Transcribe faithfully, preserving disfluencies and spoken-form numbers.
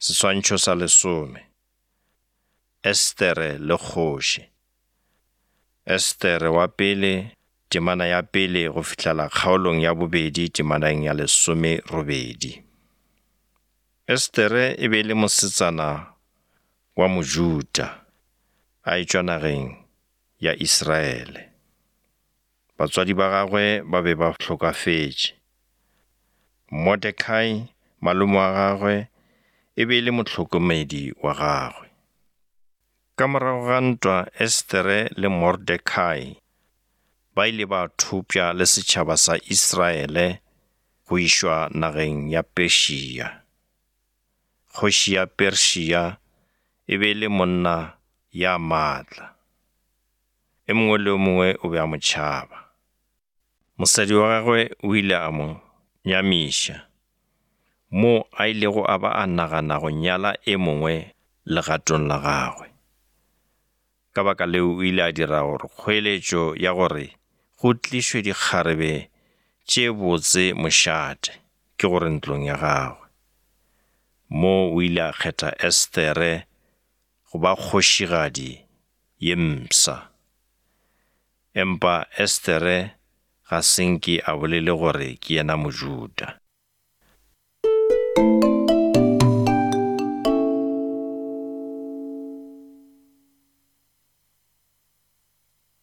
Seswantšho sa lesome. Estere le kgoši. Estere wa pele, temana ya pele go fihlela kgaolong ya bobedi temaneng ya lesomerobedi. Estere e be e le mosetsana wa Mojuda, a etšwa nageng ya Israele. Batswadi ba gagwe ba be ba hlokafetše. Mordekai, malome wa gagwe, e be e le mohlokomedi wa gagwe. Ka morago ga ntwa Estere le Mordekai ba ile ba thopša le setšhaba sa Israele go išwa nageng ya Persia. Kgoši ya Persia e be e le monna ya maatla. E mongwe le o mongwe o be a mo tšhaba. Mosadi wa gagwe o ile a mo nyamiša, mo a ilego a ba a nagana go nyala e mongwe legatong la gagwe. Ka baka leo o ile a dira gore kgoeletšo ya gore go tlišwe dikgarebe tše botse mošate, ke gore ntlong ya gagwe. Mo o ile a kgetha Estere go ba kgošigadi ye mpsha. Empa Estere ga se nke a bolele gore ke yena Mojuda.